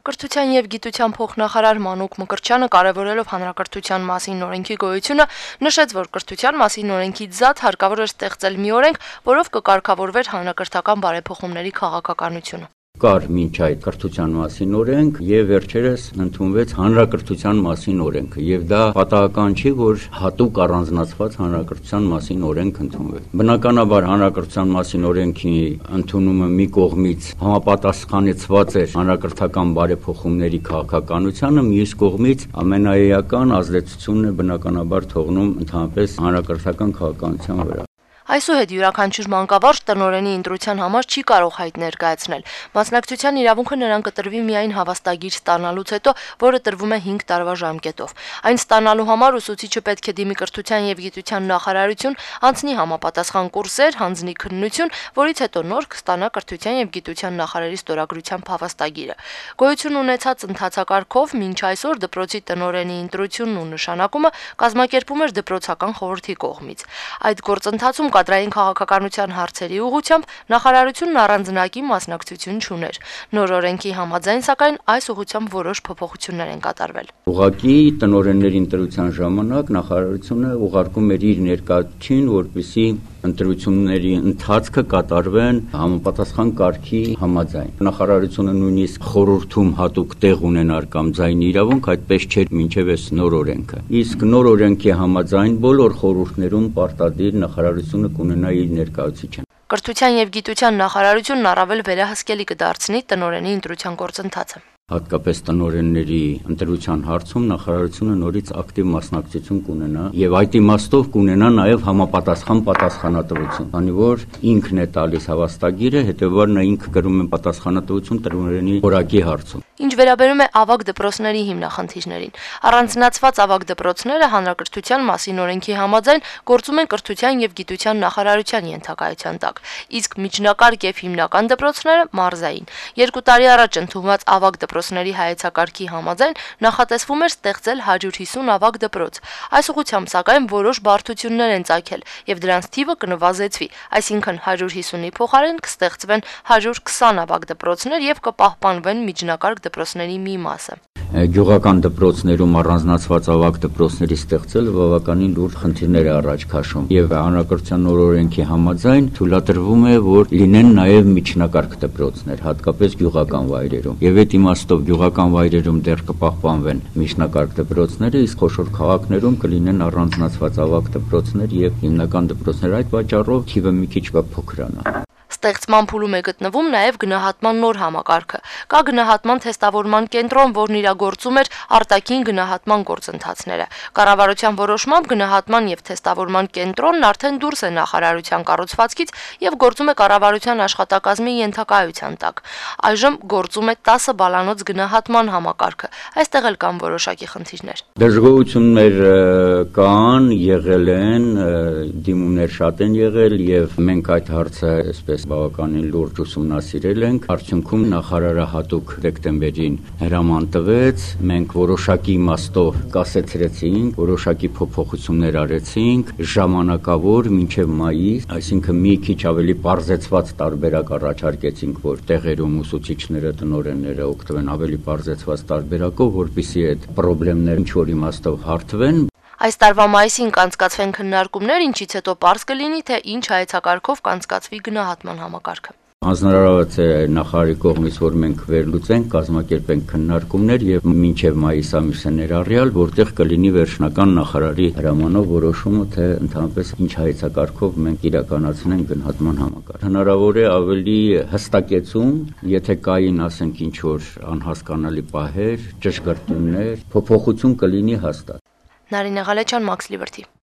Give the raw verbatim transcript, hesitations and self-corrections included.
Կրթության եւ գիտության փոխնախարար Մանուկ Մկրտչյանը կարևորելով հանրակրթության մասին օրենքի գոյությունը նշեց, որ կրթության մասին օրենքից զատ հարկավոր է ստեղծել մի օրենք, որով կկարգավորվեր հանրակրթական բարեփոխումների քաղաքականությունը։ Կար մինչ այդ կրթության մասին օրենք եւ վերջերս ընդունվեց հանրակրթության մասին օրենքը եւ դա պատահական չի, որ հատուկ առանձնացված հանրակրթության մասին օրենք ընդունվեց։ Բնականաբար հանրակրթության մասին օրենքի ընդունումը մի կողմից համապատասխանեցված էր հանրակրթական բարեփոխումների քաղաքականությանը, մյուս կողմից ամենաեական ազդեցությունն է բնականաբար թողնում ընդհանրապես հանրակրթական քաղաքականության վրա։ Այսուհետ յուրաքանչյուր մանկավարժ տնօրենի ընտրության համար չի կարող հայտ ներկայացնել։ Մասնակցության իրավունքը նրան կտրվի միայն հավաստագիր ստանալուց հետո, որը տրվում է հինգ տարվա ժամկետով։ Այն ստանալու համար ուսուցիչը պետք է դիմի կրթության եւ գիտության նախարարություն, անցնի համապատասխան կուրսեր, հանձնի քննություն, որից հետո նոր կստանա կրթության եւ գիտության նախարարի ստորագրությամբ հավաստագիրը։ Գոյություն ունեցած ընթացակարգով մինչ այսօր դպրոցի տնօրենի ընտրությունն ու նշանակումը կազմակերպում էր դպրոցական խորհրդի կողմից։ Այդ գործընթացում կադրային քաղաքականության հարցերի ուղղությամբ նախարարությունն առանձնակի մասնակցություն չուներ։ Նոր օրենքի համաձայն, սակայն, այս ուղղությամբ որոշ փոփոխություններ են կատարվել։ Ուղղակի տնօրենների ընտրության ժամանակ նախարարությունը ուղարկում էր իր ներկայացուցիչին, որպեսզի ընտրությունների ընթացքը կատարվեն համապատասխան կարգի համաձայն։ Նախարարությունը նույնիսկ խորհրդում հատուկ տեղ ունենար կամ ձայնի իրավունք, այդպես չէր մինչև այս նոր օրենքը։ Իսկ նոր օրենքի համաձայն բոլոր խորհուրդներում պարտադիր նախարարությունը կունենա իր ներկայացուցիչը։ Կրթության եւ գիտության նախարարությունն առավել վերահսկելի կդարձնի տնօրենի ընտրության գործընթացը։ Հատկապես տնօրենների ընտրության հարցում նախարարությունը նորից ակտիվ մասնակցություն կունենա եւ այդ իմաստով կունենա նաեւ համապատասխան պատասխանատվություն, քանի որ ինքն է տալիս հավաստագիրը, հետեւաբար նա ինքը կրում է պատասխանատվություն տնօրենի որակի հարցում։ Ինչ վերաբերում է ավագ դպրոցների հիմնախնդիրներին, առանձնացված ավագ դպրոցները հանրակրթության մասին օրենքի համաձայն գործում են կրթության եւ գիտության նախարարության ենթակայության տակ, իսկ միջնակարգ եւ հիմնական դպրոցները մարզային։ Երկու տարի առաջ ընդունված ավագ դպրոցների հայեցակարգի համաձայն նախատեսվում էր ստեղծել հարյուր հիսուն ավագ դպրոց։ Այս ուղղությամբ սակայն որոշ բարդություններ են ծագել եւ դրանց թիվը կնվազեցվի, այսինքն հարյուր հիսունի փոխարեն կստեղծվեն հարյուր քսան ավագ դպրոցներ եւ կպահպանվեն միջնակարգ դպրոցների մի մասը։ Գյուղական դպրոցներում առանձնացված ավագ դպրոցների ստեղծելը բավականին լուրջ խնդիրներ է առաջ քաշում եւ հանրակրթության նոր օրենքի համաձայն թույլատրվում է, որ լինեն նաեւ միջնակարգ դպրոցներ, հատկապես գյուղական վայրերում։ Եվ այդ իմաստով գյուղական վայրերում դեռ կպահպանվեն միջնակարգ դպրոցները, իսկ խոշոր քաղաքներում կլինեն առանձնացված ավագ դպրոցներ եւ հիմնական դպրոցներ։ Այդ պատճառով թիվը մի քիչ կփոքրանա։ Ստեղծման փուլում է գտնվում նաև գնահատման նոր համակարգը։ Կա գնահատման թեստավորման կենտրոն, որն իրագործում էր արտաքին գնահատման գործընթացները։ Կառավարության որոշմամբ գնահատման եւ թեստավորման կենտրոնն արդեն դուրս է նախարարության կառուցվածքից եւ գործում է կառավարության աշխատակազմի ենթակայության տակ։ Այժմ գործում է տասը բալանոց գնահատման համակարգը։ Այստեղ էլ կան որոշակի խնդիրներ։ Դժգոհություններ կան, եղել են, դիմումներ շատ են եղել եւ մենք այդ հարցը այսպես բավականին լուրջ ուսումնասիրել ենք։ Արդյունքում նախարարը հատուկ դեկտեմբերին հրաման տվեց, մենք որոշակի իմաստով կասեցրեցինք, որոշակի փոփոխություններ արեցինք, ժամանակավոր մինչև մայիս, այսինքն մի քիչ ավելի պարզեցված տարբերակ առաջարկեցինք, որ տեղերում ուսուցիչները, տնօրենները օգտվեն ավելի պարզեցված տարբերակով, որպեսզի այդ խնդիրները ինչ որ իմաստով հարթվեն։ Այս տարվա մայիսին կանցկացվեն քննարկումներ, ինչից հետո պարզ կլինի, թե ինչ հայեցակարգով կանցկացվի գնահատման համակարգը։ Հանձնարարված է նախարարի կողմից, որ մենք վերլուծենք, կազմակերպենք քննարկումներ եւ մինչեւ մայիս ամիսը ներառյալ, որտեղ կլինի վերջնական նախարարի հրամանով որոշումը, թե ընդհանրապես ինչ հայեցակարգով մենք իրականացնենք գնահատման համակարգ։ Հնարավոր է ավելի հստակեցում, եթե կային, ասենք, ինչ որ անհասկանալի պահեր, ճշգրտումներ, փոփոխություն կլինի հաստատ։ Նարինե Ղալեչյան, Մաքս Լիբերթի։